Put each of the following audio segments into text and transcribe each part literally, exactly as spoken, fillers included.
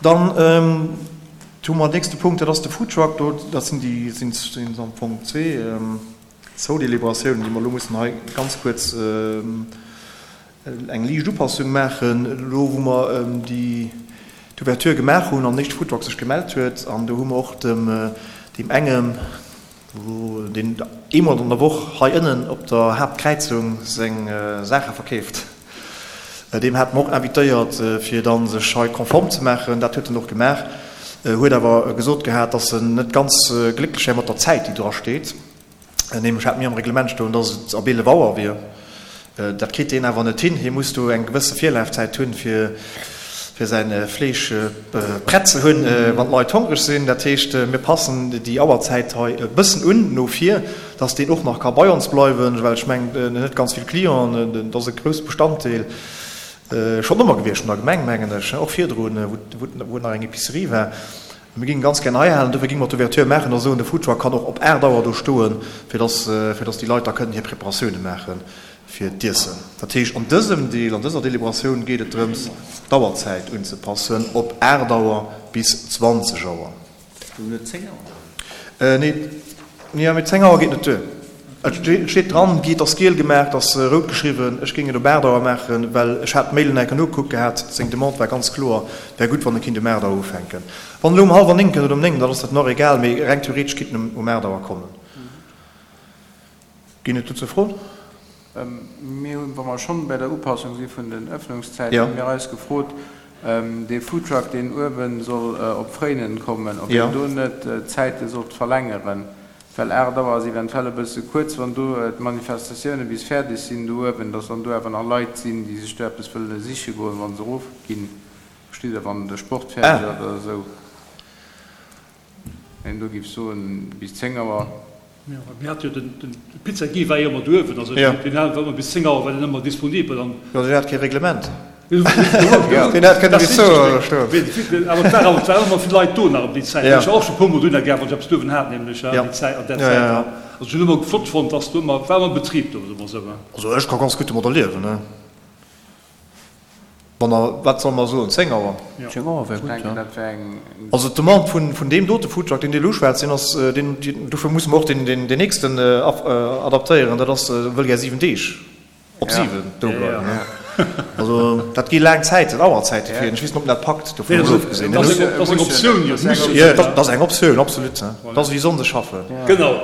Dann hu mer den nächste Punkt, dat ass de Foodtruck. Do, dat sinn déi, sinn am Fong zwee, zwou Deliberatiounen, déi mer elo mussen hei ganz kuerz eng liicht Upassung maachen, elo wou mer déi d'Ouverture gemaach hunn an den éischte Foodtruck sech gemellt huet. An do hu mer och dem, deem engem, deen eemol an der Woch hei ënnen op der Haaptkräizung seng Saache verkeeft, deem hate mer och invitéiert, fir da sech hei konform ze maachen. Dat huet en och gemaach, huet awer gesot gehat, dass en net ganz glécklech wär mat der Zäit, déi dra steet. Nämlech hate mir am Reglement stoen, dass et ab eelef Auer wier. Dat kritt deen awer net hin. Hie muss do eng gewësse Virlafzäit hunn, fir fir säin Fleesch prett ze hunn, wann d'Leit hongreg sinn. Dat heescht, mir passen déi Auerzäit hei e bëssen un no vir, dass deen och nach ka bei ons bleiwen, well ech mengen, en huet ganz vill Clienten, dat ass e grousse Bestanddeel schonn ëmmer gewiescht vun der Gemeng, mengen ech, och virdrun, wou et nach eng Epicerie war. Mir géingen ganz gär hei halen, dofir géinge mer d'Ouverture maachen a soen, de Foodtruck kann och op aacht Auer do stoen, fir dass, fir dass déi Leit da kënnen hir Preparatioune maache fir d'Iessen. Dat heescht, an dësem Deel, an dëser Deliberatioun geet et drëms, d'Auerzäit unzepassen op aacht Auer bis zwanzeg Auer. Du net zéng Auer? Nee, jo, mee zéng Auer geet net duer. Et steet dran, et ass giel gemaach, et ass rout geschriwwen. Ech géing et op aacht Auer maachen, well ech hat d'Mailen enken ugekuckt gehat. Seng Demande war ganz kloer, et wär gutt, wann e kinnt um aacht Auer ufänken. Wann en elo um hallwer néng kënnt oder um néng, dann ass dat nach egal, mee reng theoretesch kinnt en um aacht Auer kommen. Ginn et dozou Froen? Mir hunn, wa mer schonn bei der Upassung si vun den Öffnungszäiten, hu mir eis gefrot, dee Foodtruck, deen uewe soll op Fréinen kommen, ob een do net d'Zäite sollt verlängeren. Well aacht Auer ass eventuell e bësse kuerz, wann do d'Manifestatioune bis fäerdeg sinn do uewen, datt dann do awer nach Leit sinn, déi sech do eppes wëlle siche goen, wa se erofginn, verstitt Der, wann de Sport fäerdeg ass oder esou. Een do géif soen, bis zéng Auer. Jo, mir hate jo den, de Pizza Guy war jo ëmmer do uewen, also deen war ëmmer bis zéng Auer war deen ëmmer disponibel an. Jo, deen hat kee Reglement. Deen hat kënne bis zwou Auer do stoen. Awer et war awer, et war ëmmer vill Leit do nach ëm déi Zäit. Ech war och scho e puer Mol dohinner gaang, wann ech eppes duerwen hat, nämlech an déi Zäit, an där Zäit. Also ech hunn ëmmer flott fonnt, dass do ëmmer, war ëmmer Betrib do, soe mer esou. Also ech ka ganz gutt domadder liewen, ne. Wann der, wat solle mer soen, zéng Auer? Zéng Auer wär gutt, jo. Also d'Demande vun, vun deem dote Foodtruck, deen Dir elo uschwätzt, deen ass, deen, dofir musse mer och deen, deen nächsten adaptéieren, dat ass, wëll gär siwen Deeg. Op siwen do bleiwen, ne? Also dat gi laang Zäiten, Auerzäite fir en. Ech weess net, ob en dat packt, dovun emol ofgesinn. Dat ass eng Optioun, jo. Jo, dat ass eng Optioun, absolut. Dat ass wéi Sonnde schaffen. Genau.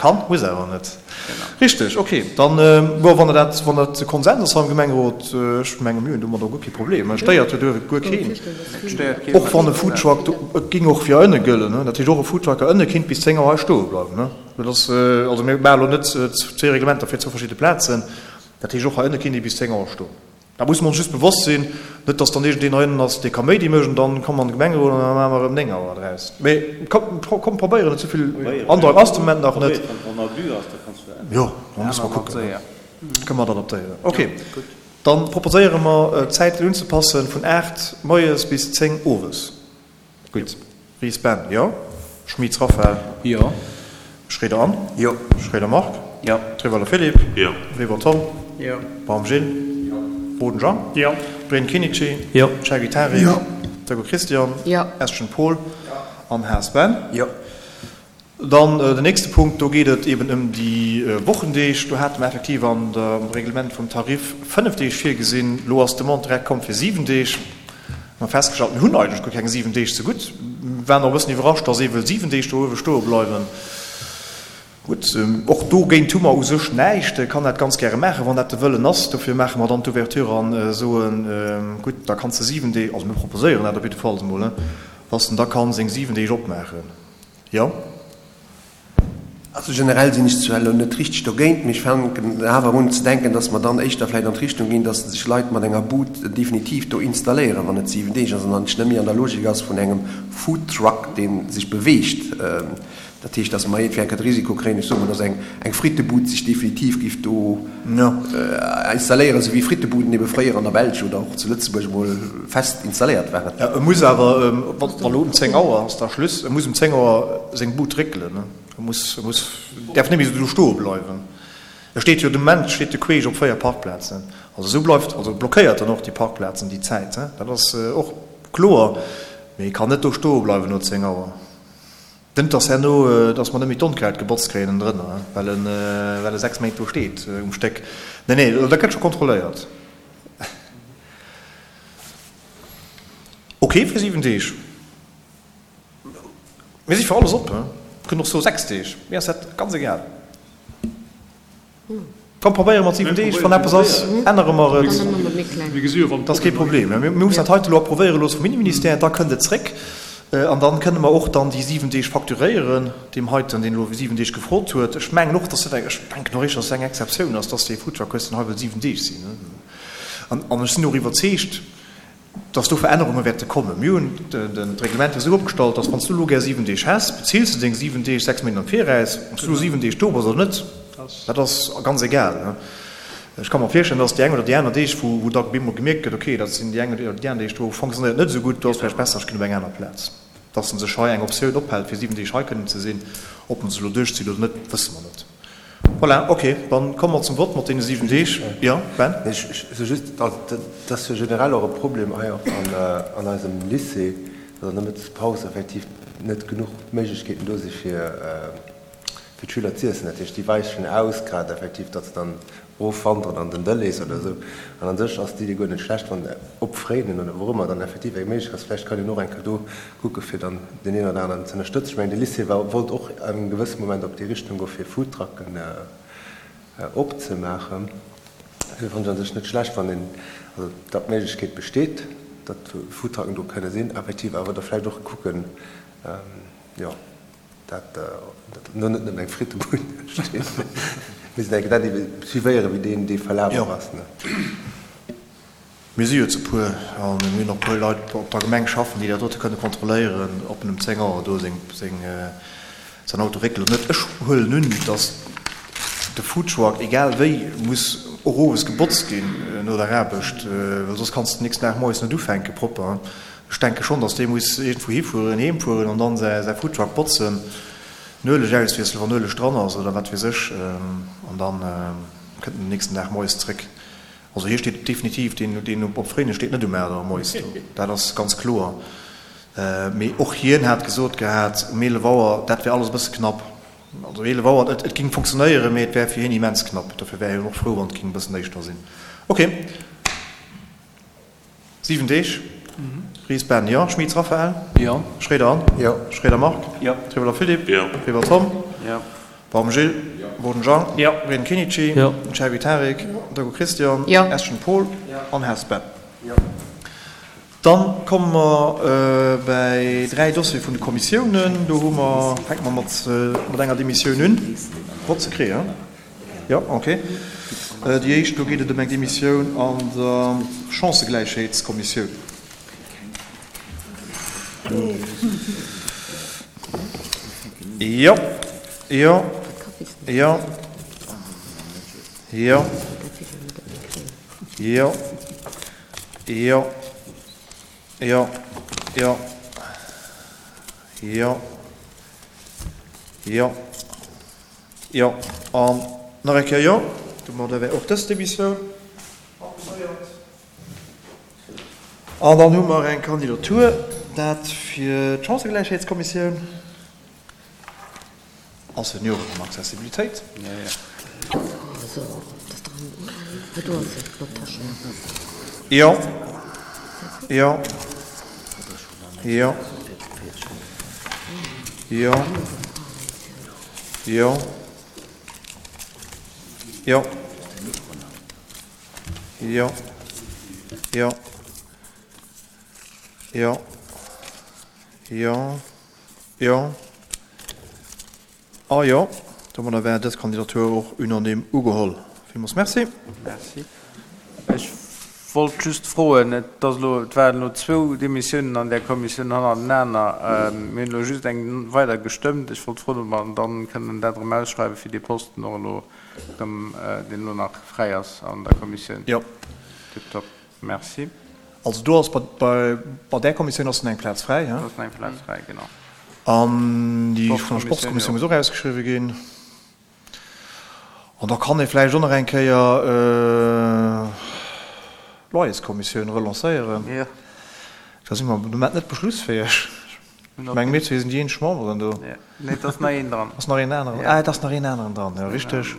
Kann, muss awer net. Richteg, okay. Dann, bon, wann der dat, wann dat de Konsens ass hei am Gemengerot, ech menge mir hunn domadder guer kee Problem. Et stéiert jo do guer keen. Och wann e Foodtruck do, et géing och fir ënne gëllen, ne? Dat heescht, och e Foodtruck ënne kinnt bis zéng Auer hei stoe bleiwen, ne? Dat ass, also mir maache elo net zwee Reglementer fir zwou verschidde Plazen. Dat heescht, och hei ënne kinnt ee bis zéng Auer stoen. Da musse mer ons just bewosst sinn, net datt dann iergendeen hei ënnen ass, dee Kaméidi mécht an dann komme mer an de Gemengerot an da maache mer erëm néng Auer draus. Mee komm, komm probéieren et, souvill Androck ass de Moment nach net. Jo, da musse mer kucken, kënne mer et adaptéieren. Okay, dann proposéiere mer d'Zäiten unzepassen vun aacht moies bis zéng owes. Gutt. Ries Ben, jo. Schmitz Raphaël. Jo. Schroeder Anne. Jo. Schroeder Marc. Jo. Trewelle Philippe. Jo. Weber Tom. Jo. Baum Gilles. Jo. Boden Jean. Jo. Breen Kinichi. Jo. Chergy Tarik. Jo. Decker Christian. Jo. Eschen Paul. Jo. An Haas Ben. Jo. Dann den nächste Punkt, do geet et eben ëm déi Wochendeeg. Do hate mer effektiv an dem Reglement vum Tarif fënnef Deeg virgesinn. Elo ass d'Demande direkt komm fir siwen Deeg. Mir hu festgestallt, mir hunn eigentlech guer keng siwen Deeg zegutt. Mir waren och e bëssen iwwerrascht, dass ee wëll siwen Deeg do uewe stoe bleiwen. Gutt, och dogéint hu mer u sech näischt. E kann dat ganz gäre maachen, wann dat de Wëllen ass. Dofir maache mer dann d'Ouverture a soen, gutt, da kanns de siwen Deeg, also mir proposéieren dat op jiddefalls emol, dass en da ka seng siwen Deeg opmaachen. Jo. Also generell sinn ech zwar elo net richteg dogéint, mee ech fänken awer un ze denken, dass mer dann éischter vläicht an d'Richtung ginn, dass sech Leit mat enger Bud definitiv do installéieren, wann et siwen Deeg ass, an dann net méi an der Logik ass vun engem Foodtruck, dee sech beweegt. Dat heescht, dass mer iergendwéi enker de Risiko kréien, ech soe mol, dass eng Frittebud sech definitiv géif do installéieren, esou wéi Frittebuden ebe fréier an der Belsch oder och zu Lëtzebuerg emol fest installéiert waren. Jo, e muss awer, wa elo um zéng Auer ass da Schluss, e muss um zéng Auer seng Bud réckelen. E muss, e muss, däerf net méi esou do stoe bleiwen. E steet jo de Moment steet de queesch op véier Parkplazen. Also esou bleift, also blockéiert en och déi Parkplazen déi Zäit. Dat ass och kloer, mee e kann net do stoe bleiwen no zéng Auer. Net dass herno, dass mer net méi d'Onkraut gebotzt kréien ënnendrënner, well en, well e sechs Méint do steet um Stéck. Nee, nee, dat gëtt scho kontrolléiert. Ok fir siwen Deeg. Mir si fir alles op. Kënnen och soe sechs Deeg. Mir ass dat ganz egal. Komm, probéiere mat siwen Deeg. Wann eppes ass, ännere mer et. Dat ass kee Problem. Mir mussen dat heite elo approuvéiere loosse vum Inneministère, da kënnt et zréck. An dann kënne mer och dann déi siwen Deeg facturéieren, deem heiten, deen elo siwen Deeg gefrot huet. Ech mengen och, dass dat eng, ech denken och éischter, dass dat eng Exceptioun ass, dass dee Foodtruck hues, deen hei wëll siwen Deeg sinn. An ech sinn och iwwerzeegt, dass do Verännerunge wäerte kommen. Mir hunn d'Reglementer esou opgestallt, dass wann s du elo gär siwen Deeg häss, bezills de deng siwen Deeg sechs Méint am Viraus. Ob s du elo siwen Deeg do bass oder net, dat ass ganz egal. Ech ka mer virstellen, dass déi eng oder déi aner Deeg, wou da op eemol gemierkt gëtt, okay, dat sinn déi eng oder déi aner Deeg, do fonctionnéiert et net esou gutt, do ass vläicht besser, ech ginn op eng aner Plaz. Dass en sech hei eng Optioun ophält, fir siwen Deeg hei kënnen ze sinn. Ob en se elo duerchzitt oder net, wësse mer net. Voilà, ok, dann komme mer zum Vott mat deene siwen Deeg. Jo, Ben? Ech soe just, et ass jo generell och e Problem hei och an eisem Lycée, datt an der Mëttespaus effektiv net genuch Méiglechkeeten do si fir d'Schüler z'iessen. Dat heescht, déi weichen aus, grad effektiv, datt se dann erofwanderen an den Delhaize oder esou. An an sech ass d'Idee guer net schlecht, wann op Fréinen oder wou och ëmmer dann effektiv eng Méiglechkeet ass. Vläicht kann een och eng Kéier do kucke fir dann deen een oder aneren ze ënnerstëtzen. Ech mengen, de Lycée war, wollt och an engem gewësse Moment op déi Richtung goe fir Foodtrucken opzemaachen. Dofir fannen ech an sech net schlecht, wann een, also datt d'Méiglechkeet besteet, datt Foodtrucken do kënne sinn, effektiv awer da vläicht och kucken, jo, dat no net nëmmen eng Frittebud steet, mee se denken dat ebe suivéieren, wéi deen dee Verlaf och ass. Mir si jo ze puer a mir hunn och e puer Leit op der Gemeng schaffen, déi dat dote kënne kontrolléieren, ob en um zéng Auer do seng, seng, säin Auto réckelt oder net. Ech huelen un, datt de Foodtruck, egal wéi, muss och owes gebotzt ginn no der Aarbecht, well soss kanns de den nächsten Dag moies net ufänke propper. Ech denke schonn, datt dee muss iergendwou hifueren, heem fueren an dann säi Foodtruck botzen, den Ueleg auswiesselen, wann Ueleg dran ass oder wat weess ech, an dann kënnt en den nächsten Dag moies zréck. Also hie steet definitiv, deen deen op Fréinen steet net um aacht Auer moies do, dat ass ganz kloer. Mee och hien hat gesot gehat, um eelef Auer, dat wär alles e bësse knapp. Also eelef Auer, et géing funktionéieren, mee et wär fir hien immens knapp. Dofir wär hien och frou, wann et géing e bëssen éischter sinn. Ok. Siwen Deeg. Ries Ben, jo. Schmitz Raphaël? Jo. Schroeder Anne? Jo. Schroeder Marc? Jo. Trewelder Philippe? Jo. Weber Tom? Jo. Baum Gilles? Jo. Boden Jean? Jo. Reding Kenichi? Jo. Cherbi Tarik? Jo. Deco Christian? Jo. Eschen Paul? Jo. An Hess Ben? Jo. Dann komme mer bäi dräi Dossiere vun de Kommissiounen. Do hu mer, fänke mer mat mat enger Demissioun un. Vott ze kréien? Jo, ok. Déi éischt, do geet et ëm eng Demissioun an der Chancëgläichheetskommissioun. Jo, jo, jo, jo, jo, jo, jo, jo, jo, jo. Jo, an nach eng Kéier jo. Domadder wär och dës Demissioun approvéiert. An dann hu mer eng Kandidatur, dat fir d'Chancëgläichheetskommissioun a Senioren an Accessibilitéit. Jo, jo, jo, jo. Jo. Jo. Jo. Jo. Jo. Jo. Jo. A jo. Domadder wär dës Kandidatur och unanime ugeholl. Villmools Merci. Merci. Ech wollt just froen, et ass elo, et waren elo zwou Demissiounen an där Kommissioun hannertenaner. Mir hunn elo just eng weider gestëmmt. Ech wollt froen, ob mer dann kënnen dat erëm ausschreiwen, fir dee Posten och elo erëm, deen elo nach fräi ass an der Kommissioun. Jo. Tiptop. Merci. Also do ass bei, bei där Kommissioun ass nach eng Plaz fräi, he? Do ass nach eng Plaz fräi, genau. An déi vun der Sportskommissioun muss och ausgeschriwwen ginn. An da kann ee vläicht och nach eng Kéier d'Loyerskommissioun relancéieren. Da si mer de Moment net beschlussfäeg. Ech mengen, mir zwee sinn déi eenzeg Memberen do. Nee, et ass nach een dran. Ass nach een aneren? Ah, et ass nach een aneren dran, jo, richteg.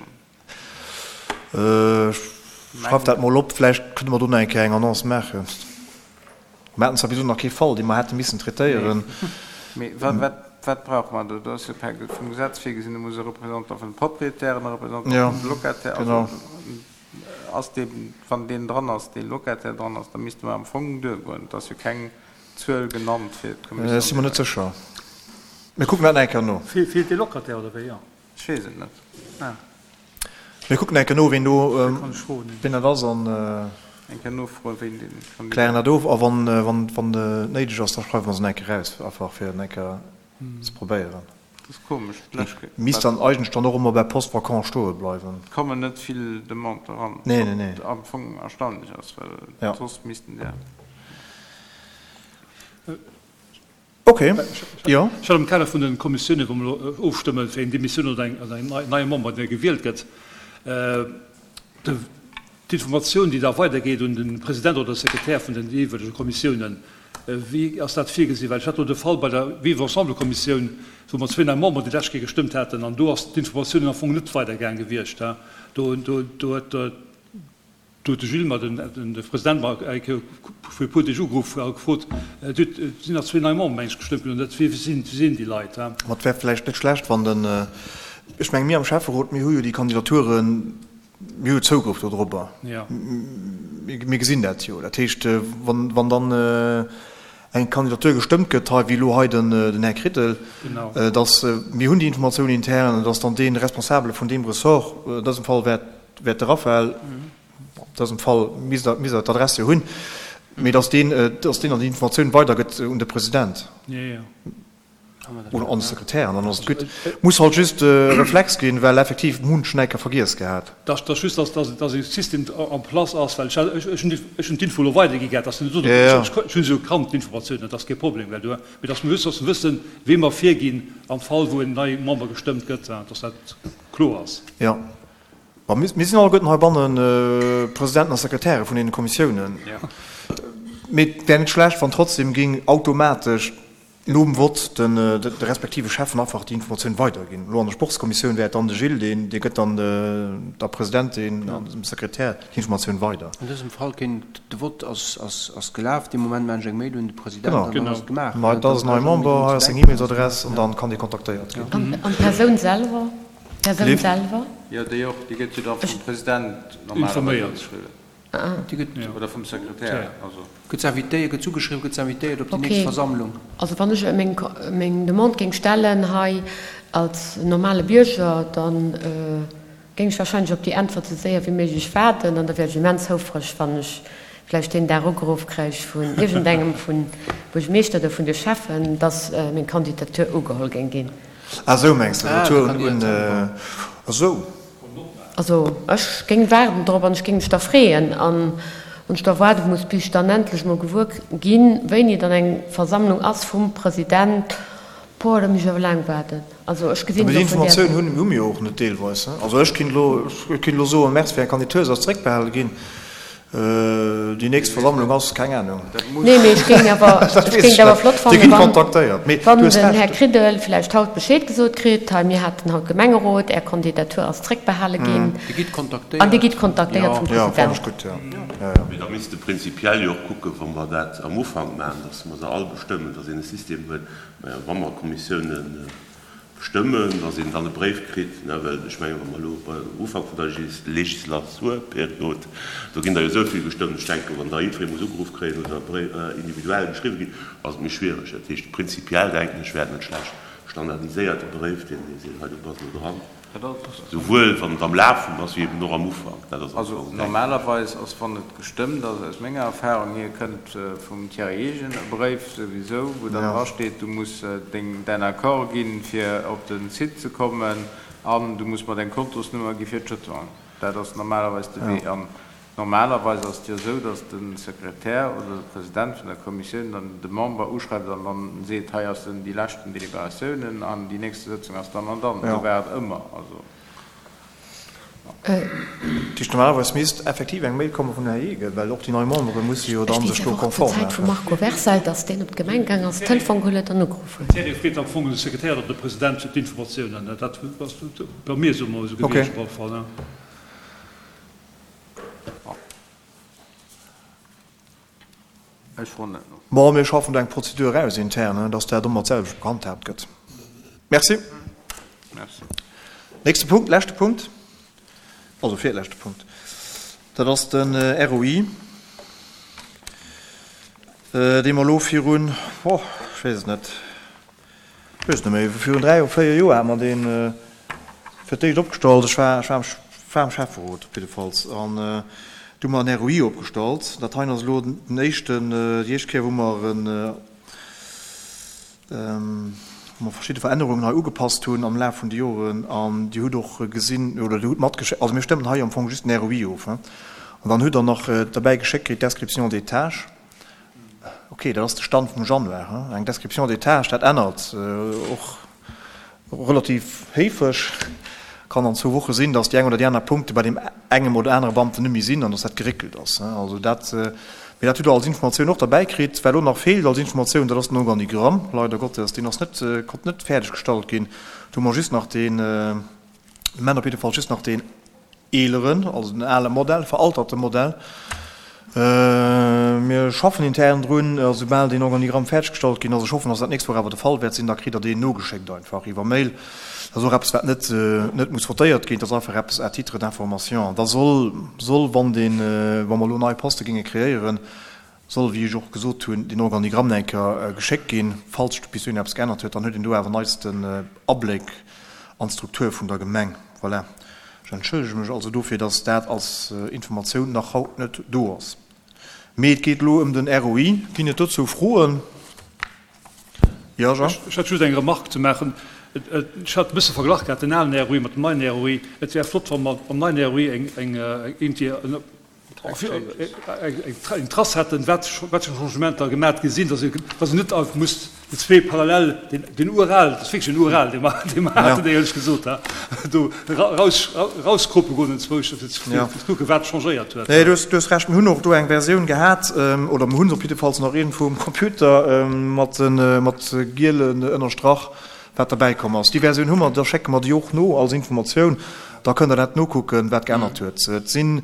Ech schreif dat mol op, vläicht kënne mer do nach eng Kéier eng Annonce maachen. Mer haten zwar bis elo nach kee Fall, dee mer hätte missen traitéieren. Mee wat, wat brauche mer do? Do ass jo per, vum Gesetz virgesinn, do muss e Représentant vun de Propriétairen, e Représentant vum Locataire, also ass dee, wann deen dran ass, dee Locataire dran ass, da misste mer am Fong duergoen. Et ass jo keng Zuel genannt fir d'Commission. Ech si mer net sécher. Mir kucken dat nach eng Kéier no. Feelt dee Locataire oder wéi? Ech weess et net. Mir kucken eng Kéier no, ween do, ween dat ass an Eng Kéier nofroen, wéin dee Kandidat. Klären dat of a wann, wann, wann et néideg ass, da schreiwe mer se nach eng Kéier eraus, einfach fir et nach eng Kéier ze probéieren. Dat ass komesch. D'lescht Kéier. Misst dann eigentlech dann och ëmmer bei Poste vacant stoe bleiwen. Et kommen net vill Demanden eran. Nee, nee, nee. Wat am Fong erstaunlech ass, well soss missten der. Ok, jo. Ech hat am Kader vun de Kommissiounen, wou mer elo ofstëmmen, fir eng Demissioun oder en neie Member, dee gewielt gëtt, d'Informatioun, déi da weidergeet un de President oder de Sekretär vun den jeeweilege Kommissiounen, wéi ass dat virgesinn? Well ech hat elo de Fall bei der Vivre-ensemble-Kommissioun, wou mer zwee nei Memberen déi lescht Kéier gestëmmt haten, an do ass d'Informatioun am Fong net weidergaang gewiescht. Do huet Do huet de Gilles mer, de President, mer eng Kéier fir e puer Deeg ugeruff a gefrot, Et sinn nach zwee nei Memberen, meng ech, gestëmmt ginn, an dat, wie sinn, wie sinn déi Leit? Ma et wär vläicht net schlecht, wann den, ech menge mir am Schäfferot, mir hu jo déi Kandidaturen, mir hu jo Zougrëff dodrobber, mir gesinn dat jo. Dat heescht, wann, wann dann eng Kandidatur gestëmmt gëtt hei, wéi elo hei den, den Här Kridel, dass, mir hunn déi Informatioun intern, dass dann dee Responsabele vun deem Ressort, an dësem Fall wär, wär de Raphael, an dësem Fall misst Der, misst Der d'Adress jo hunn, mee dass deen, dass deen dann déi Informatioun weidergëtt un de President oder an de Sekretär an dann ass et gutt. Muss halt just e Reflex ginn, well effektiv munch Näiker vergiess gehat. Dass, dass just, dass, dass, dass e System en place ass, well ech, ech hunn déi, ech hunn d'Info elo weidergi gehat, dass net, ech, ech hunn se jo kannt, d'Informatiounen, dat ass kee Problem, well do, mee dass mer just, dass mer wëssen, wee mer virginn am Fall wou en neie Member gestëmmt gëtt, dass dat kloer ass. Jo. Ma mir sinn alleguerten heibanne Presidenten a Sekretäre vun deene Kommissiounen. Mee et wär net schlecht, wann trotzdem géing automatesch nom Vott de respektive Schäffen einfach déi Informatioun weiderginn. Elo an der Sportskommissioun wär et dann de Gilles, deen dee gëtt dann der Presidentin an dem Sekretär déi Informatioun weider. An dësem Fall kéint, de Vott ass gelaf, dee Moment maachen ech eng Mail un de President an dann ass et gemaach. Genau. Dat ass en neie Member, hei ass seng E-Mailsadress an dann kann dee kontaktéiert ginn. An d'Persoun selwer? D'Persoun selwer? Jo, déi och. Déi gëtt jo da vum President normalerweis ugeschriwwen. Déi gëtt. Oder vum Sekretär, also. Gëtt s'invitéiert, gëtt s'ugeschriwwen, gëtt s'invitéiert op déi nächst Versammlung. Also wann ech meng, meng Demande géing stellen hei als normale Bierger, da géing ech wahrscheinlech op déi Äntwert esou séier wéi méiglech waarden an da wier ech immens houfreg, wann ech vläicht deen Dag ugeruff kréich vun iergendengem vun Buergermeeschter oder vun de Schäffen, dass meng Kandidatur ugeholl géing ginn. Ah sou mengs de, Retour un, ah sou. Also ech géing waarden drop an ech géing mech da freeën. An wann ech da waarde muss, bis ech dann endlech mol gewuer ginn, wéini dann eng Versammlung ass vum President, boah, da muss ech awer laang waarden. Also ech gesinn et och vun där. Déi Informatioun hu mir jo och net deelweis. Also ech kinnt elo, ech kinnt elo soen, Merci fir Är Kandidatur, se ass zeréckbehale ginn. Déi nächst Versammlung ass, keng Ahnung. Nee, mee ech géing awer, ech géing et awer flott fannen, wann, wann den Här Kridel vläicht haut Bescheed gesot kritt, hei mir haten haut Gemengerot, Är Kandidatur ass zréckbehale ginn. Dir gitt kontaktéiert. An Dir gitt kontaktéiert vum President. Mee da misste prinzipiell jo och kucken, wa mer dat am Ufank maachen, dass mer se all bestëmmen, dass een e System huet, wa mer Kommissiounen bestëmmen, dass een dann e Bréif kritt, ne, well ech mengen, wa mer elo beim Ufank vun der Legislaturperiod, do ginn der jo esou vill gestëmmt, ech denken, wann da jiddweree muss ugeruff kréien oder individuell geschriwwe ginn, ass et méi schwiereg. Dat heescht, prinzipiell denken ech, wär et net schlecht, standardiséierte Bréif, deen ee seet, hei du bass elo dran. Souwuel wann et am Laf vum ass, wéi eben och am Ufank. Dat ass am Also Fong, denken ech. normalerweis ass, wann et gestëmmt ass, aus menger Erfahrung hier, kënnt vum Thierry Eegen e Bréif souwisou, wou dann drasteet, du muss deng, däin Accord ginn, fir op de Site ze kommen an du muss mer deng Kontosnummer gi fir d'Jetonen. Dat ass normalerweis de Wee. An normalerweis ass et jo esou, datt de Sekretär oder de President vun der Kommissioun dann de Member uschreift an dann seet, hei ass den, déi leschten Deliberatiounen an déi nächste Sëtzung ass dann an dann. Esou war et ëmmer. Also Dat heescht, normalerweis misst effektiv eng Mail komme vum Här Hegel, well och déi nei Membere musse jo Ech dann weess sech do awer och zur konform Zäit vum maachen. Marco Versailles, datt deen op d'Gemeng gaang ass, Telefon geholl huet an ugeruff huet. Thierry freet am Fong de Sekretär oder de President fir d'Informatiounen. Dat ass bei mir esou emol esou Okay. gewiescht op alle Fall. Ech froen net no. Bon, mir schaffen do eng Prozedur aus intern, dass dat ëmmer d'selwecht gehandhaabt gëtt. Merci. Merci. Nächste Punkt, leschte Punkt, also virleschte Punkt, dat ass den R O I, dee mer elo virun, oh, ech weess et net, ech weess et net méi, virun dräi oder véier Joer hate mer dee fir d'éischt opgestallt. Ech war, ech war am, war am Schäfferot op jiddefalls an du hu mer en R O I opgestallt. Dat heien ass elo den éischten, déi éischt Kéier, wou mer en, wou mer verschidde Verännerungen hei ugepasst hunn am Laf vun de Joren an Dir hutt och gesinn oder Dir hutt matgeschéckt, also mir stëmmen hei am Fong just den R O I of, hein. An dann hutt Der nach derbäi geschéckt kritt d'Description des tâches. Okay, dat ass de Stand vum Januar, hein. Eng Description des tâches, dat ännert och relativ héifeg. Kann an zwou Woche sinn, dass déi eng oder déi aner Punkte bei deem engem oder anere Beamten net méi sinn an dass dat geréckelt ass, hein. Also dat, mee dat hutt Der als Informatioun och derbäi kritt. Wat elo nach feelt als Informatioun, dat ass den Organigramm, leider Gottes, deen ass net, konnt net fäerdeg gestallt ginn. Do hu mer just nach deen, de Moment op jidde Fall just nach deen eeleren, also den ale Modell, veralterte Modell. Mir schaffen intern drun, a soubal deen Organigramm fäerdeg gestallt ginn ass, ech hoffen, dass dat d'nächst Woch awer de Fall wäert sinn, da kritt Der deen nogeschéckt einfach iwwer Mail. Dat ass och eppes, wat net, net muss votéiert ginn, dat ass einfach eppes à titre d'information. An da soll, soll, wann deen, wa mer elo nei Poste géinge kreéieren, soll, wéi ech och gesot hunn, deen Organigramm nach eng Kéier geschéckt ginn, falls sech bis dohin eppes geännert huet. Dann huet een do awer neisten Abléck an d'Struktur vun der Gemeng. Voilà. Ech entschëllege mech also dofir, dass dat als Informatioun nach haut net do ass. Mee et geet elo ëm den R O I. Ginn et dozou Froen? Jo, Jean? Ech hätt just eng Remarque ze maachen. Ech hat e bësse verglach gehat, den alen R O I mat dem neien R O I. Et wär flott, wa mer am neien R O I eng, eng, iergendwéi eng Trace hätten, wat wat fir Changementer gemat gi sinn, dass ee, dass een net einfach muss déi zwee parallel, deen, deen ural, dat ass wierklech en ural, dee mer, dee mer haten, éierlech gesot, ha, do raus, rauskrope goen enzwousch, fir ze kucken, wat changéiert huet. Nee, du hues, du hues Recht. Mir hunn och do eng Versioun gehat, oder mir hunn se op jiddefalls nach iergendwou um Computer, mat de, mat gielen ënnerstrach, wat derbäi komm ass. Déi Versioun hu mer, da schécke mer déi och no als Informatioun, da kënnt Der dat nokucken, wat geännert huet. Et sinn,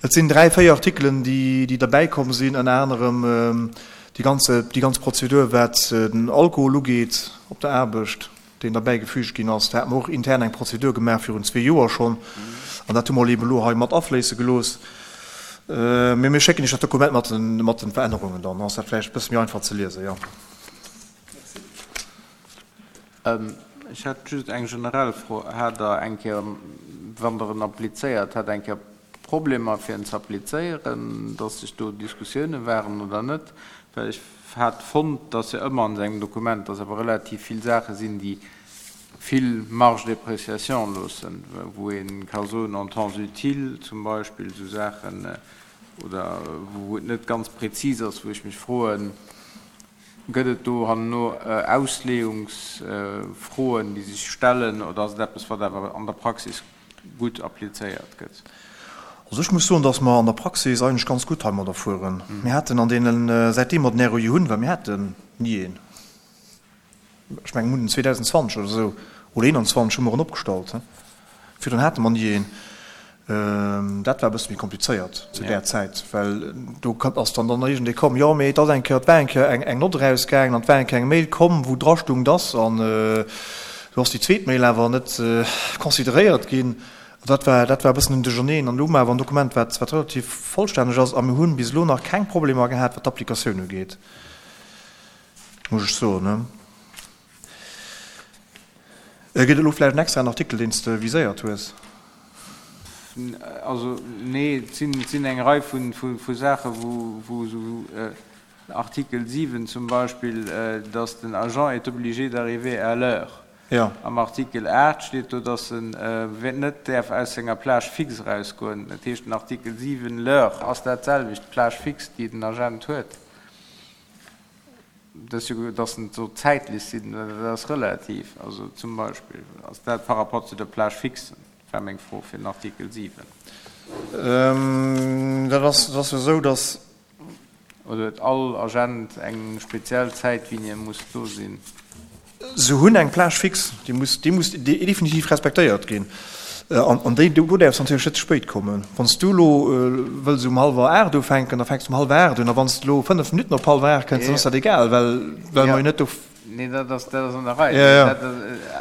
et sinn dräi, véier Artikelen, déi, déi derbäi komm sinn, ënner anerem déi ganze, déi ganz Prozedur, wat den Alkohol ugeet op der Aarbecht, deen derbäi gefügt ginn ass. Da hate mer och intern eng Prozedur gemaach virun zwee Joer schonn, an dat hu mer eben elo hei mat afléisse gelooss. Mee mir schécken Iech dat Dokument mat den, mat den Verännerungen, dann ass dat vläicht e bësse méi einfach ze liesen, jo. Ech hätt just eng generell Fro. Hat Der eng Kéier, wann Der en applizéiert, hat eng Kéier Problemer fir en ze applizéieren, dass sech do Diskussioune waren oder net? Well ech hat fonnt, dass jo ëmmer an esou engem Dokument, dass awer relativ vill Saache sinn, déi vill Marge d'appréciation loossen, wou ee ka soen, en temps utile zum Beispill, esou Saachen, oder wou et net ganz präzis ass, wou ech mech froen, gëtt et do herno Ausleeungsfroen, déi sech stellen, oder ass et eppes, wat awer an der Praxis gutt applizéiert gëtt? Also ech muss soen, dass mer an der Praxis eigentlech ganz gutt heimadder fueren. Mir haten an deenen, säitdeem mer den R O I hunn, well mir haten ni een, ech mengen, mir hunn en zweedausendzwanzeg oder esou, oder eenanzwanzeg hu mer en opgestallt, virdrun hate mer ni een. Dat war e bësse méi komplizéiert zu där Zäit, well do ass dann dann iergendee komm, jo mee et ass eng Kéier, et war eng Kéier eng Nott erausgaangen an et war eng Kéier eng Mail komm, wou drastung, dass, an do ass déi zweet Mail awer net consideréiert ginn. Dat war, dat war e bëssen en Duercherneen. An elo hu mer awer en Dokument, wat, wat relativ vollstänneg ass a mir hunn bis elo nach keng Problemer gehat, wat d'Applikatioun ugeet, muss ech soen. Gëtt et elo vläicht en extraen Artikel, deen s de viséiert hues? Also nee, et sinn, et sinn eng Rei vu, vu, vu Saachen, wou, wou esou Artikel siwen zum Beispill, dass den Agent est obligé d'arriver à l'heure. Ja. Am Artikel aacht steet do, dass en net däerf aus senger Plage fixe erausgoen. Dat heescht, den Artikel siwen, l'heure, ass dat selwecht, d'Plage fixe, déi den Agent huet. Dat ass jo, dass en soll zäitlech sinn, dat ass relativ. Also zum Beispill ass dat par rapport zu der Plage fixe, War meng Fro fir den Artikel siwen. Dat ass, dat ass jo esou, dass. Oder huet all Agent eng speziell Zäit, wéini e muss do sinn? Se hunn eng Plage fixe, déi muss, déi muss definitiv respektéiert ginn. An déi, do däerfs de natierlech net ze spéit kommen. Wann s du elo wëlls um hallwer aacht ufänken, da fänks du um hallwer aacht un. A wann s de elo fënnef Minutten op hallwer aacht kënns, dann ass dat egal, well, well mer jo net do. Nee, dat ass, dat ass an der Rei. Dat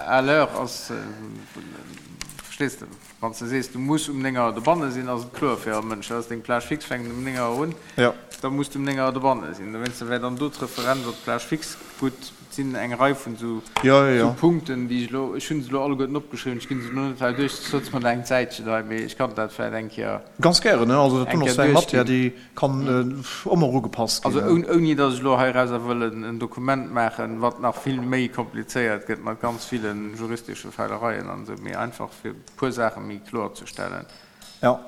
à l'heure ass, verstees de? Wann s de sees, du muss um néng Auer dobanne sinn, ass et kloer fir all Mënsch, dat ass deng Plage fixe, fänkt um néng Auer un, da muss de um néng Auer dobanne sinn. Dowéinster wär dann do d'Referenz op d'Plage fixe gutt. Et sinn eng Rei vun esou Punkten, déi ech elo, ech hu se elo alleguerten opgeschriwwen, ech ginn se elo net hei duerch, soss sëtze mer nach eng Zäitchen hei, mee ech kann dat vläicht eng Kéier. Ganz gären, also dat do ass eng Matière, déi kann ëmmer ugepasst ginn. Also ouni datt ech elo heirauser wëll en Dokument maachen, wat nach vill méi komplizéiert gëtt mat ganz ville juristesche Feilereien an esou, mee einfach fir e puer Saache méi kloer ze stellen. Jo,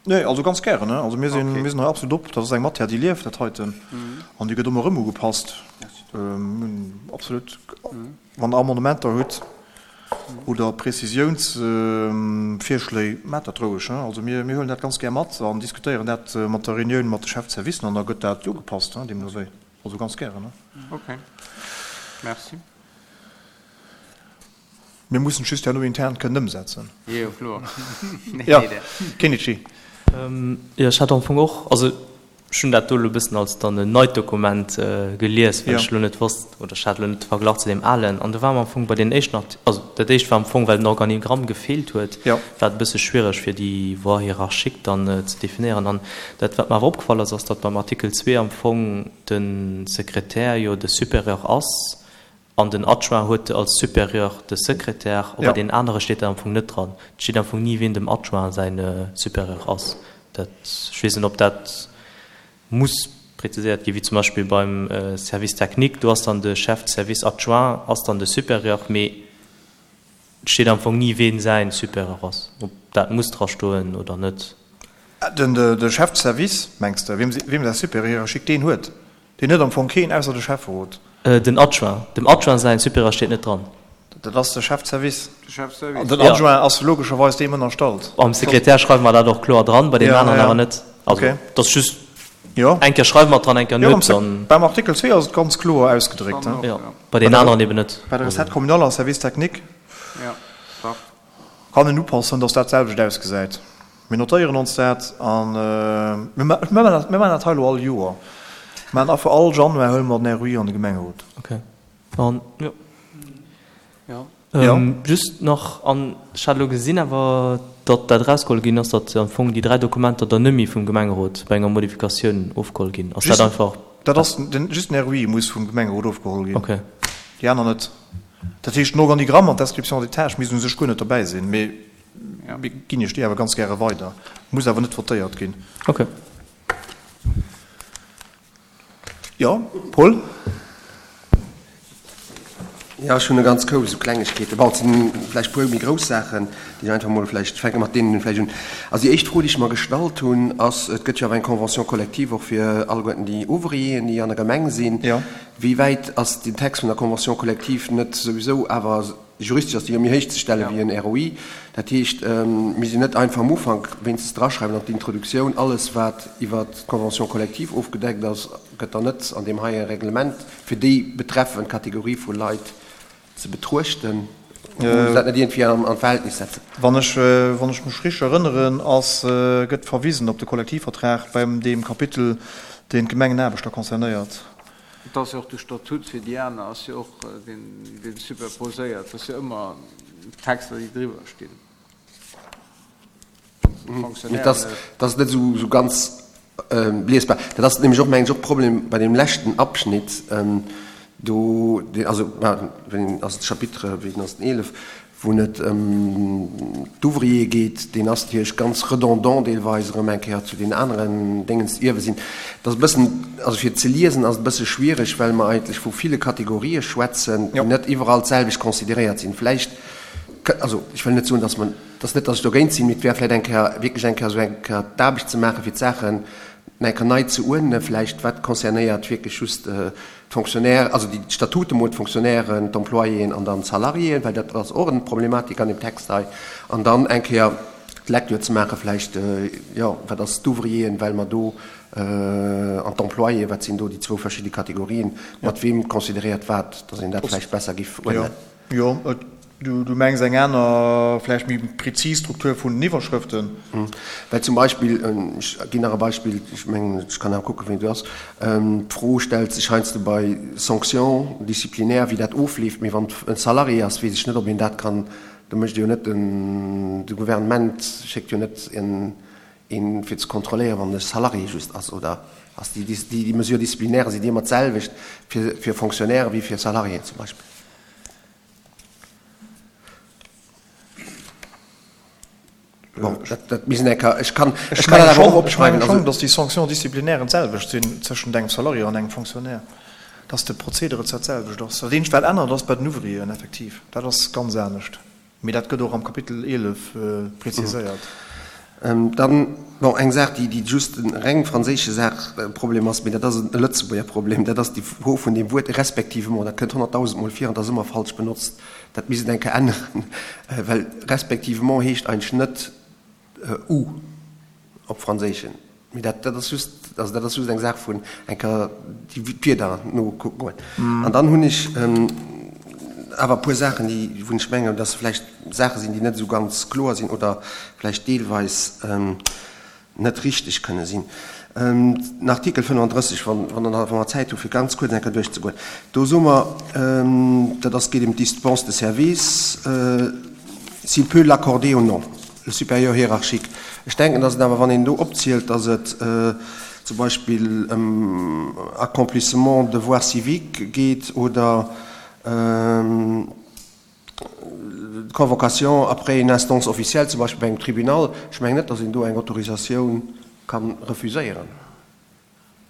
nee, also ganz gären. Also mir sinn, mir sinn hei absolut op. Dat ass eng Matière, déi lieft, dat heiten, an déi gëtt ëmmer erëm ugepasst. Absolut. Wann Der Amendementer hutt oder Prezisiounsvirschléi, maacht dat roueg. Also mir, mir huelen dat ganz gär mat an diskutéieren dat mat der Reunioun mat de Chefservicen an da gëtt dat ugepasst, deemno wéi. Also ganz gären. Okay. Merci. Mir mussen et just herno intern kënnen ëmsetzen. Jo, kloer. Jo, Kenichi. Jo, ech hat am Fong och, also ech hunn dat do elo e bëssen als dann en neit Dokument gelies, well ech elo net wosst, oder ech hat elo net de Verglach zu deem alen. An do war mer am Fong bei deenen éischten Arti-, also dat éischt war am Fong, well den Organigramm gefeelt huet, war et e bësse schwiereg fir déi Voie hiérarchique dann ze definéieren. An dat, wat mer awer opgefall ass, ass, datt beim Artikel zwee am Fong de Sekretär jo de Supérieur ass, An den Adjoint huet als Supérieur de Secrétaire, a bei deenen anere steet dat am Fong net dran. Et steet am Fong ni, wien dem Adjoint säi Supérieur ass. Dat, ech weess net, ob dat muss präziséiert ginn, wéi zum Beispill beim Service technique, do ass dann de Chef de service adjoint ass dann de Supérieur, mee et steet am Fong ni, wien säi Supérieur ass, ob dat muss drastoen oder net. De Chef de service, mengs de, wiem säi Supérieur hiérarchique deen huet? Deen huet am Fong keen, ausser de Schäfferot. Den Adjoint. Dem Adjoint säin Supérieur steet net dran. Dat ass de Chef de service. An den Adjoint ass logescherweis deem ënnerstallt. Beim Sekretär schreiwe mer dat och kloer dran, bei deenen aneren awer net. Also, dat ass just, eng Kéier schreiwe mer et dran, eng Kéier net. Dann. Beim Artikel zwee ass et ganz kloer ausgedréckt. Jo, bei deenen aneren eben net. Bei der Recette communale a Service technique kann een upassen, dass dat d'selwecht ausgesäit. Mir notéieren ons dat a mir maachen dat hei elo all Joer. Mir maachen affer all Januar huele mer den R O I an de Gemengerot. Okay. An, jo. Jo. Just nach, an ech hat elo gesinn awer, datt dat erausgeholl ginn ass, datt am Fong déi dräi Dokumenter dann net méi vum Gemengerot bei enger Modifikatioun ofgeholl ginn. Ass dat einfach. Dat ass den, just den R O I muss vum Gemengerot ofgeholl ginn. Okay. Déi aner net. Dat heescht, den Organigramm an d'Description des tâches misst u sech guer net dobäi sinn, mee Mir ginn Iech déi awer ganz gäre weider. Muss awer net votéiert ginn. Ok. Jo, Paul? Jo, ech hunn e ganz Koup esou Klengegkeeten. Bon, et sinn vläicht e puer méi grouss Saachen, déi ech einfach mol vläicht, ech fänke mat deenen vläicht un. Also déi éischt Fro, déi ech mer gestallt hunn, ass, et gëtt jo awer eng Convention collective och fir alleguerten déi Ouvrieren, déi an der Gemeng sinn. Wéi wäit ass den Text vun der Convention collective net souwisou awer Juristesch ass déi jo méi héich ze stelle wéi en R O I. Dat heescht, mir sinn net einfach am Ufank wéinstens draschreiwen an d'Introduktioun, alles wat iwwert d'Convention collective ofgedeckt ass, gëtt dann net an deem heie Reglement fir déi betreffend Kategorie vu Leit ze betruechten. Muss dat net iergendwéi an d'Verhältnis setzen? Wann ech, wann ech mech richteg erënneren, ass, gëtt verwisen op de Kollektivvertrag beim deem Kapitel, deen d'Gemengenaarbechter concernéiert. Et ass jo och de Statut fir déi aner ass jo och deen superposéiert. Et ass jo ëmmer Texter, déi driwwer stinn. Mee dat ass net esou ganz liesbar. Dat ass nämlech och, mengen ech, och Problem bei deem leschten Abschnitt do, also wéi ass et, Chapitre, wéi ass den eelef, wou et ëm d'Ouvriere geet, deen ass natierlech ganz redondant deelweis erëm eng Kéier zu deenen aneren Déngens ierwe sinn. Et ass e bëssen, also fir ze liesen ass et e bësse schwiereg, well mer eigentlech vu ville Kategorië schwätzen, déi net iwwerall d'selwecht consideréiert sinn. Vläicht, also ech wëll net soen, dass mer, et ass net, dass ech dogéint sinn, mee et wär vläicht eng Kéier wierklech eng Kéier esou eng Kéier d'Aarbecht ze maachen, fir d'Saachen eng Kéier nei ze uerdnen, vläicht wat concernéiert wierklech just d'Fonctionnaires, also déi d'Statute mol, d'Fonctionnairen, d'Employéen an dann d'Salariéen, well dat ass och eng Problematik an deem Text hei, an dann eng Kéier d'Lecture ze maachen vläicht, jo, wat ass d'Ouvrieren, well mer do, an d'Employéen, wat sinn do déi zwou verschidde Kategorien, mat weem consideréiert wat, dass een dat vläicht besser giff uerdnen. Jo, Du mengs eng aner, vläicht méi prezis Struktur vun den Iwwerschrëften? Well zum Beispill, ech ginn nach e Beispill, ech mengen, ech kann awer kucken, wéi et ass, d'Fro stellt sech heiansdo bei Sanctions disciplinaires, wéi dat ofleeft. Mee wann et e Salarié ass, weess ech net, ob een dat kann, do mécht e jo net den, de Gouvernement schéckt jo net een, fir ze kontrolléieren, wann e Salarié just ass, oder ass déi, déi Mesures disciplinaires, sinn déi ëmmer d'selwecht fir, fir Fonctionnaire wéi fir Salariéen zum Beispill? Bon, dat, dat misst een eng Kéier, ech kann, ech kann dat awer och opschreiwen. Ech menge schonn, datt déi Sanctions disciplinairen d'selwecht sinn tëschent engem Salarié an engem Fonctionnaire, datt de Prozedere zwar d'selwecht ass. Dat eenzegt, wat ännert, ass bei den Ouvrieren effektiv, dat ass ganz anescht, mee dat gëtt och am Kapitel eelef preziséiert. Dann, bon, eng Saach, déi, déi just e reng franséische Saach, Problem ass, mee dat ass e Lëtzebuerger Problem, dat ass déi Fro vun deem Wuert respectivement. Dat kënnt honnertdausend Mol vir an dat ass ëmmer falsch benotzt. Dat misst een eng Kéier änneren, well respectivement heescht eigentlech net ou op Franséischen. Mee dat, dat ass just, also dat ass just eng Saach vun eng Kéier déi Wierder nokucken goen. An dann hunn ech awer e puer Saachen, déi, wou ech mengen, dass se vläicht Saache sinn, déi net esou ganz kloer sinn oder vläicht deelweis net richteg kënne sinn. Den Artikel fënnefandrësseg, wann, wann Der nach, wa mer Zäit hu fir ganz kuerz eng Kéier duerchzegoen, do soe mer, dat ass, geet ëm d'Dispense de service, s'il peut l'accorder ou non, le supérieur hiérarchique. Ech denken, dass et awer, wann een do opzielt, dass et zum Beispill ëm Accomplissement devoirs civiques geet oder Convocation après une instance officielle, zum Beispill bei engem Tribunal, ech mengen net, dass een do eng Autorisatioun ka refuséieren,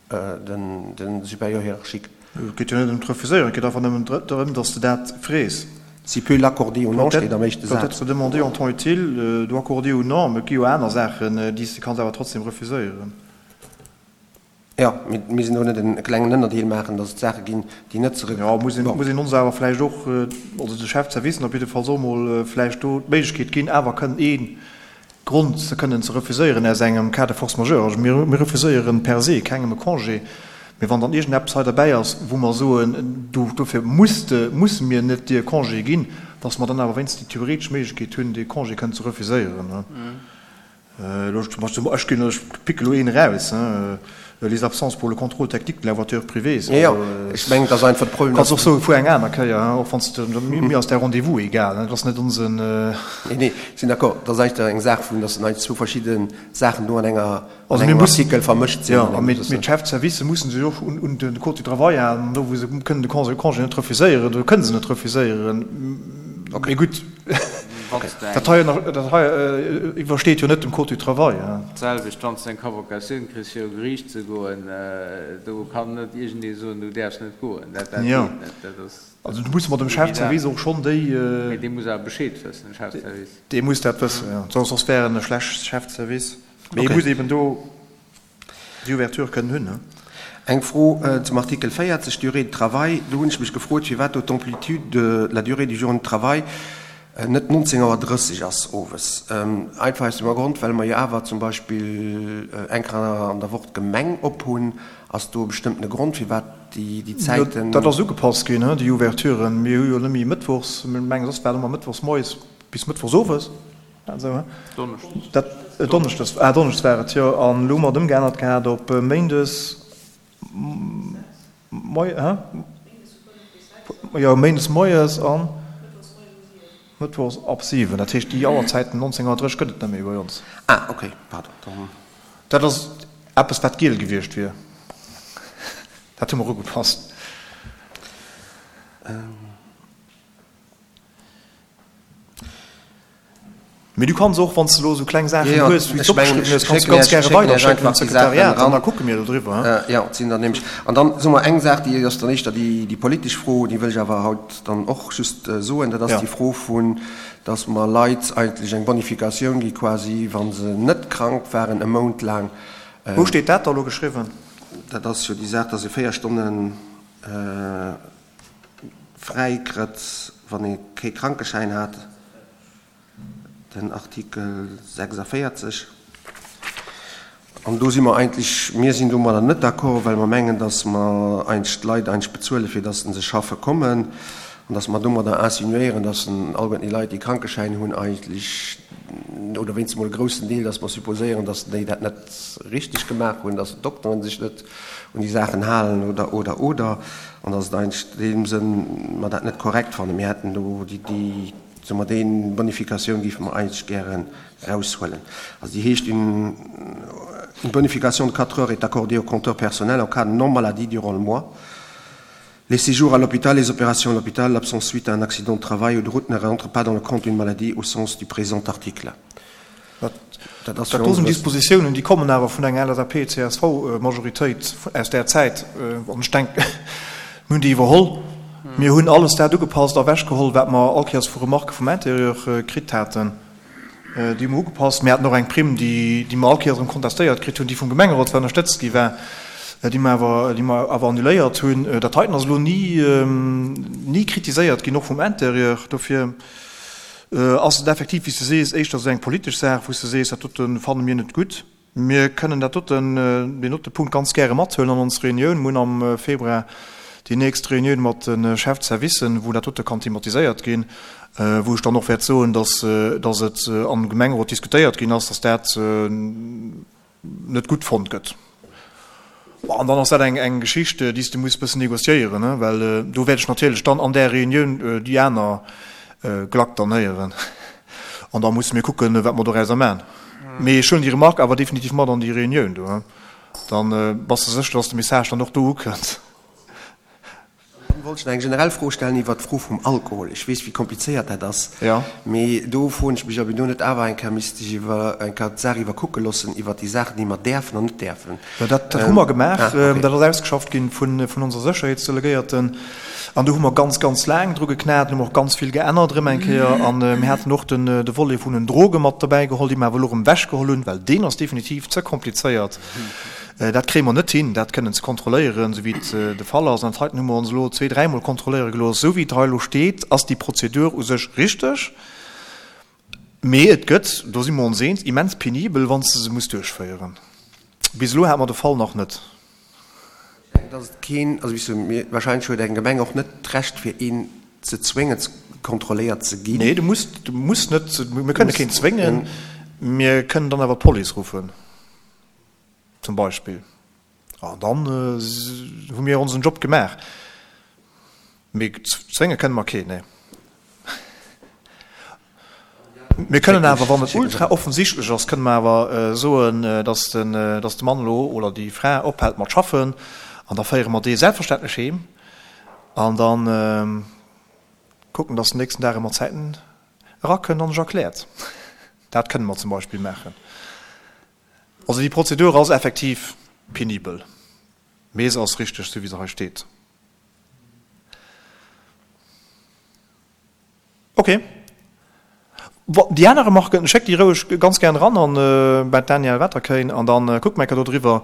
de Supérieur hiérarchique. Et geet jo net ëm d'Refuséieren, et geet einfach nëmmen drëm, dass de dat frees. S'il peut l'accorder ou non steet am éischte Saz. Peut être demandé en temps utile, do accorder ou non, mä et gi jo aner Saachen, déi s de kanns awer trotzdem refuséieren. Jo, mee mir sinn do net en klengen Ënnerdeel maachen, dass et Saache ginn, déi net zeréck. Jo, muss een, muss een ons awer vläicht och, also de Chef de service op jiddefalls och emol vläicht do d'Méiglechkeet ginn, awer kënnen ee Grond ze kënnen ze refuséieren aus engem Cas de force majeure. Also mir, mir refuséieren per se kengem e Congé, mee wann dann iergendeppes hei derbäi ass, wou mer soen, do, dofir muss de, musse mir net dir e Congé ginn, dass mer dann awer wéinstens déi theoretesch Méiglechkeet hunn, dee Congé kënnen ze refuséieren. Elo zum Beispill, ech ginn, ech picke elo een eraus, les absences pour le contrôle technique de la voiture privée. Jo, jo, ech mengen, et ass einfach de Problem, Kanns och soen, fuer eng aner Kéier, och wann s de, mir ass däi Rendez-vous egal, dat ass net onsen. Nee, nee, ech sinn d'accord, et ass einfach eng Saach vun, dass eigentlech zwou verschidde Saachen do an enger, an engem Artikel vermëscht sinn. Jo, a mee d'Chef-de-servicë mussen sech och un de Code du travail halen, an do wou se kënnen de Congé net refuséieren, do kënne se net refuséieren. Mee gutt. Dat hei iwwersteet jo net dem Code du travail. D'selwecht, wann s de eng Convocatioun kriss fir u Geriicht ze goen, do kann net iergendee soen, du däerfs net goen. Dat geet net. Dat ass. Also do musse mer dem Chef de service och schonn déi. Mee dee muss awer Bescheed wëssen, de Chef de service. Dee muss dat wëssen, jo. Soss wär en e schlecht Chef de service. Mee e muss eben do. Déi Ouverture kënnen hunn. Eng Fro zum Artikel véierzeg, Durée de travail. Do hunn ech mech gefrot, firwat do d'Amplitude de la durée du journée de travail net nonzéng Auer drësseg ass owes. Einfach aus dem Grond, well mer jo awer zum Beispill eng Kéier an der Woch d'Gemeng op hunn. Ass do e bestëmmtene Grond, firwat déi Zäiten. Dat ass ugepasst ginn, déi Ouverturen. Mir hu jo net méi mëttwochs, ech mengen, soss war et ëmmer mëttwochs moies bis mëttwochs owes. Donneschdes, ah Donneschdes war et, jo. An elo hu mer et ëmgeännert gehat op Méindes moies, hä? Jo, Méindes moies an Mëttwochs ab siwen. Dat heescht, déi Auerzäiten nonzéng Auer drësseg gëtt et net méi bei ons. Ah, okay, pardon, dann. Dat ass eppes, wat giel gewiescht wier. Dat hu mer ugepasst. Mee du kanns och, wann s de elo esou kleng Saachen hues, wéi s de opgeschriwwen hues, kanns du ganz gäre weiderschécken un d'Sekretariat an da kucke mir do driwwer. Jo, et sinn der nämlech. An dann soe mer eng Saach, déi ass dann éischter déi politesch Fro, déi wëll ech awer haut dann och just soen, dat ass déi Fro vun, dass mer Leit eigentlech eng Bonifikatioun gi quasi, wa se net krank waren e Mount laang. Wou steet dat da elo geschriwwen? Dat ass jo déi Saach, dass ee véier Stonne fräi krëtt, wann ee kee Krankeschäin hat, den Artikel sechsundvierzig. An do si mer eigentlech, mir sinn domadder net d'accord, well mer mengen, dass mer eigentlech d'Leit eigentlech bezuelen, fir dass se schaffe kommen, an dass mer domadder insinuéieren, dass alleguerten déi Leit, déi Krankeschäin hunn, eigentlech, oder wéinstens emol e groussen Deel, dass mer supposéieren, dass déi dat net richteg gemaach hunn, dass d'Dokteren sech net un déi Saachen halen oder, oder, oder, an dass et eigentlech an deem Sënn mer dat net korrekt fannen. Mir hätten do déi, déi, soe mer, déi Bonifikatioun géife mer eigentlech gären eraushuelen. Also déi heescht, une, une bonification de quatre heures est accordée au compteur personnel en cas de non-maladie durant le mois. Les séjours à l'hôpital, les opérations à l'hôpital, l'absence suite à un accident de travail ou de route ne rentrent pas dans le compte d'une maladie au sens du présent article. Dat ass Dat do sinn Dispositiounen, déi kommen awer vun enger L S A P C S V-Majoritéit aus där Zäit. An ech denken, mir hunn déi iwwerholl. Mir hunn alles dat ugepasst a ewechgeholl, wat mer all Kéiers vu Remarquë vum Intérieur kritt haten. Déi hu mer ugepasst. Mir haten och eng Primm, déi déi mer all Kéiers erëm kontestéiert kritt hunn, déi vum Gemengerot zwar ënnerstëtzt gi war, déi mer awer déi mer awer annuléiert hunn. Dat heiten ass elo ni ni kritiséiert ginn, och vum Intérieur. Dofir ass et effektiv, wéi s de sees, éischter esou eng politesch Saach, wou s de sees, dat dote fanne mir net gutt. Mir kënnen dat doten, deen dote Punkt ganz gäre mathuelen an ons Reunioun. Mir hunn am Februar déi nächst Reunioun mat de Chef-de-servicen, wou dat dote kann thematiséiert ginn, wou ech dann och wäert soen, dass, dass et am Gemengerot diskutéiert ginn ass, dass dat net gutt fonnt gëtt. An dann ass dat eng, eng Geschicht, déi s de muss bëssen négociéieren, well do wäert ech natierlech dann an där Reunioun déi aner Glack dann héieren. An da musse mir kucken, wat mer dorauser maachen. Mee ech huelen déi Remarque awer definitiv mat an déi Reunioun do. Dann bass de sécher, dass de Message dann och do ukënnt. Dann wollt ech nach eng generell Fro stellen iwwert d'Fro vum Alkohol. Ech weess, wéi komplizéiert dat ass, mee do froen ech mech, ob een do net awer eng Kéier misst sech iwwer eng Kéier d'Saach iwwerkucke loossen iwwert déi Saachen, déi mer däerfen an net däerfen. Dat hu mer gemaach. Dat ass ausgeschafft gi vun onser Sécherheetsdelegéierten. An do hu mer ganz, ganz laang dru geknat. Do hu mer och ganz vill geännert erëm eng Kéier. A mir haten och de Volet vun den Droge mat dobäi geholl, dee mer awer elo erëm ewechgeholl hunn, well deen ass definitiv ze komplizéiert. Dat kréie mer net hin, dat kënnen ze kontrolléieren, esou wéi et de Fall ass. An dat heiten hu mer ons elo zwee-, dräimol kontrolléiere gelooss. Esou wéi et hei elo steet, ass déi Prozedur u sech richteg, mee et gëtt, do si mer ons eens, immens penibel, wann s de se muss duerchféieren. Bis elo hate mer de Fall nach net. Ech denken, dass et keen, also wéi s du, mir, wahrscheinlech huet eng Gemeng och net d'Recht, fir een ze zwéngen, kontrolléiert ze ginn. Nee, du muss, du muss net, mir kënne keen zwéngen, mir kënnen dann awer d'Police ruffen. Zum Beispill. An dann hu mir onsen Job gemaach. Mee zwénge kënne mer keen, nee. Mir kënnen awer, wann et ultra offensichtlech ass, kënne mer awer soen, dass den, dass de Mann elo oder déi Fra ophält mat schaffen an da féiere mer dee selbstverständlech heem an da kucken, dass den nächsten Dag e mat Zäiten erakënnt an sech erkläert. Dat kënne mer zum Beispill maachen. Also déi Prozedur ass effektiv penibel, mee se ass richteg, esou wéi se hei steet. Ok. Bon, déi aner Remarquen, schéckt déi roueg ganz gären eran an bei d'Danièle Waterkeyn an da kucke mer eng Kéier do driwwer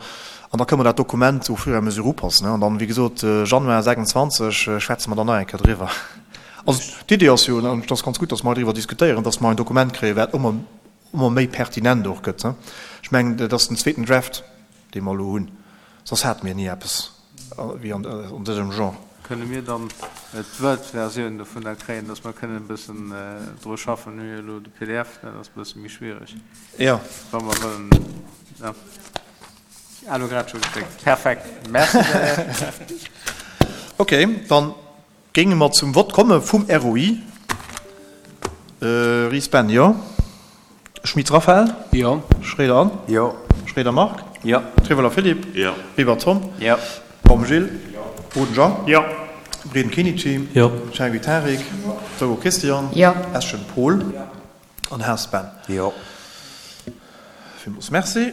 an da kënne mer dat Dokument au fur et à mesure upassen. An dann, wéi gesot, Januar sechsundzwanzeg schwätze mer dann nach eng Kéier driwwer. Also d'Idee ass jo, an et ass ganz gutt, dass mer hei driwwer diskutéieren, dass mer en Dokument kréien, wat ëmmer ëmmer méi pertinent och gëtt. Ech mengen, dat ass den zweeten Draft, dee mer elo hunn, soss hate mir ni eppes wéi an dësem Genre. Kënne mir dann d'Word-Versioun dovunner kréien, dass mer kënnen e bëssen dru schaffen? Mir hu jo elo de P D F, dat ass e bësse méi schwiereg, wa mer wëllen. Jo, ah, elo grad scho geschéckt. Perfekt, merci. Ok, dann géinge mer zum Vott komme vum R O I. Ries Ben, jo. Schmitz Raphaël? Jo. Schroeder Anne? Jo. Schroeder Marc? Jo. Triveller Philippe? Jo. Weber Tom? Jo. Baum Gilles? Jo. Boden Jean? Jo. Breden Kenichi? Jo. Chergui Tarik? Jo. Zogo Christian? Jo. Eschen Paul? Jo. An Haas Ben? Jo. Villmools Merci.